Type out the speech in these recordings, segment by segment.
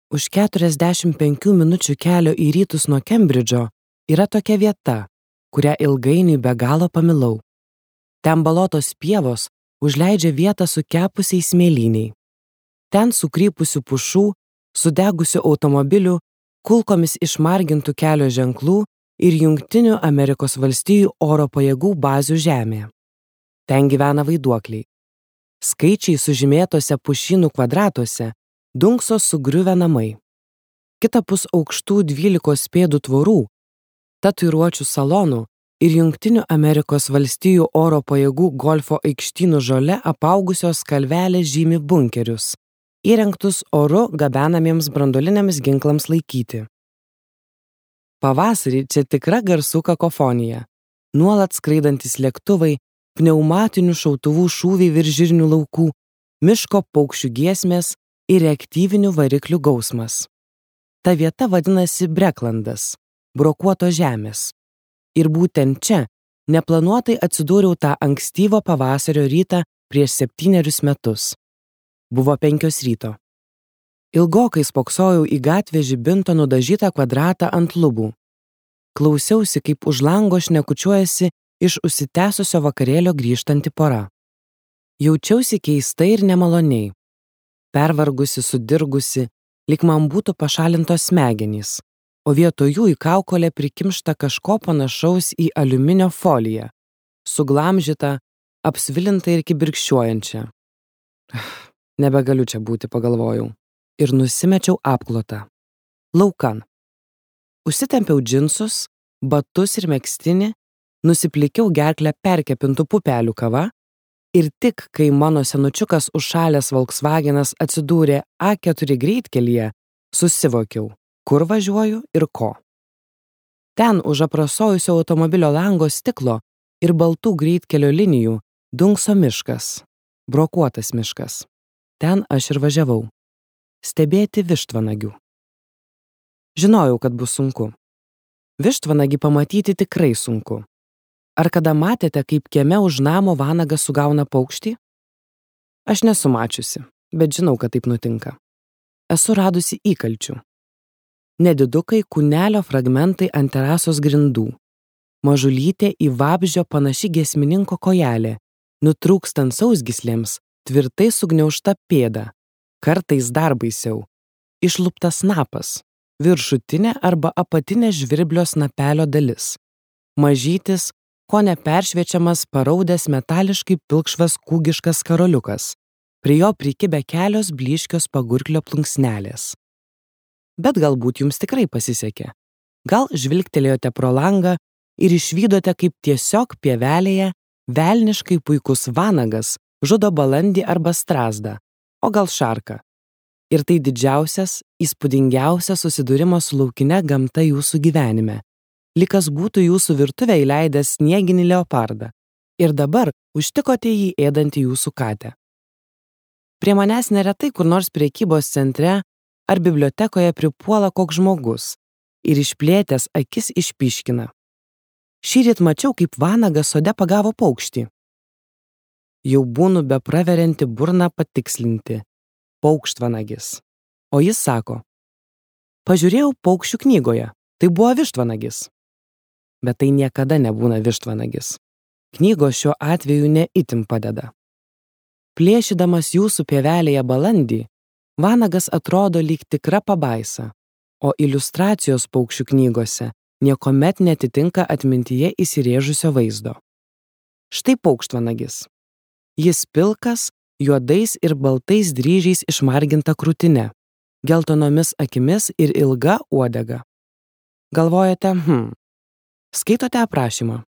Už 45 minučių kelio į rytus nuo Kembridžo yra tokia vieta, kurią ilgainiui be galo pamilau. Ten balotos pievos užleidžia vietą sukepusiai smėlyniai. Ten sukrypusių pušų, sudegusių automobilių, kulkomis išmargintų kelio ženklų ir Jungtinių Amerikos valstijų oro pajėgų bazių žemė. Ten gyvena vaiduokliai. Skaičiai sužymėtose pušynų kvadratuose dunkso sugriuvę namai. Kitapus aukštų 12 pėdų tvorų, tatuiruočių salonų ir Jungtinių Amerikos valstijų oro pajėgų golfo aikštynų žole apaugusios kalvelės žymi bunkerius, įrengtus oru gabenamiems branduoliniams ginklams laikyti. Pavasarį čia tikra garsų kakofonija, nuolat skraidantis lėktuvai, pneumatinių šautuvų šūviai virš žirnių laukų, miško paukščių giesmės ir reaktyvinių variklių gausmas. Ta vieta vadinasi Breklandas, brokuotos žemės. Ir būtent čia neplanuotai atsidūriau tą ankstyvo pavasario rytą prieš 7 metus. Buvo 5 ryto. Ilgokai spoksojau į gatvę žibinto nudažytą kvadratą ant lubų. Klausiausi, kaip už lango šnekučiuojasi iš užsitęsusio vakarėlio grįžtanti pora. Jaučiausi keistai ir nemaloniai. Pervargusi, sudirgusi, lyg man būtų pašalintos smegenys, o vietoj jų į kaukolę prikimšta kažko panašaus į aliuminio foliją, suglamžytą, apsvilintą ir kibirkščiuojančią. Nebegaliu čia būti, pagalvojau, ir nusimečiau apklotą. Laukan. Užsitempiau džinsus, batus ir megztinį, nusiplikiau gerklę perkepintų pupelių kava ir tik, kai mano senučiukas užšalęs Volkswagenas atsidūrė A4 greitkelyje, susivokiau, kur važiuoju ir ko. Ten už aprasojusio automobilio lango stiklo ir baltų greitkelio linijų dunkso miškas, brokuotas miškas. Ten aš ir važiavau. Stebėti vištvanagių. Žinojau, kad bus sunku. Vištvanagį pamatyti tikrai sunku. Ar kada matėte, kaip kieme už namo vanagas sugauna paukštį? Aš nesu mačiusi, bet žinau, kad taip nutinka. Esu radusi įkalčių. Nedidukai kūnelio fragmentai ant terasos grindų. Mažulytė į vabzdžio panaši giesmininko kojelė, nutrūkstant sausgyslėms, tvirtai sugniaužta pėda, kartais dar baisiau. Išluptas snapas, viršutinė arba apatinė žvirblio snapelio dalis. Mažytis, ko neperšviečiamas paraudęs metališkai pilkšvas kūgiškas karoliukas, prie jo prikibę kelios blyškios pagurklio plunksnelės. Bet galbūt jums tikrai pasisekė. Gal žvilgtelėjote pro langą ir išvydote, kaip tiesiog pievelėje velniškai puikus vanagas žudo balandį arba strazdą, o gal šarką. Ir tai didžiausias, įspūdingiausias susidūrimas su laukine gamta jūsų gyvenime. Lyg kas būtų jūsų virtuvę įleidęs snieginį leopardą. Ir dabar užtikote jį ėdantį jūsų katę. Prie manęs neretai kur nors prekybos centre ar bibliotekoje pripuola koks žmogus ir išplėtęs akis išpyškina. Šįryt mačiau, kaip vanagas sode pagavo paukštį. Jau būnu bepraverianti burną patikslinti. Paukštvanagis. O jis sako, pažiūrėjau paukščių knygoje, tai buvo vištvanagis. Bet tai niekada nebūna vištvanagis. Knygos šiuo atveju ne itin padeda. Plėšydamas jūsų pievelėje balandį, vanagas atrodo lyg tikra pabaisa, o iliustracijos paukščių knygose niekuomet netitinka atmintyje įsirėžusio vaizdo. Štai paukštvanagis. Jis pilkas, juodais ir baltais dryžiais išmarginta krūtine, geltonomis akimis ir ilga uodega. Galvojate, Skaitote aprašymą.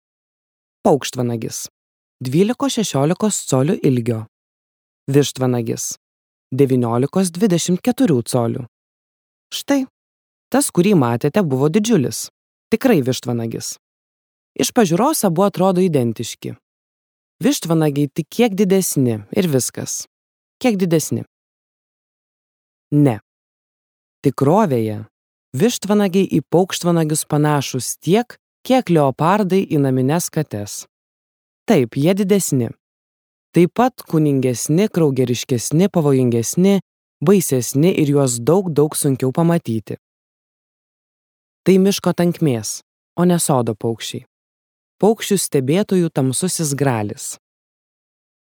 Paukštvanagis. 12–16 colių ilgio. Vištvanagis. 19–24 colių. Štai, tas, kurį matėte, buvo didžiulis. Tikrai vištvanagis. Iš pažiūros abu atrodo identiški. Vištvanagiai tik kiek didesni ir viskas. Kiek didesni. Ne. Tikrovėje vištvanagiai į paukštvanagius panašus tiek, kiek leopardai į namines kates. Taip, jie didesni. Taip pat kūningesni, kraugeriškesni, pavojingesni, baisesni ir juos daug sunkiau pamatyti. Tai miško tankmės, o ne sodo paukščiai. Paukščių stebėtojų tamsusis gralis.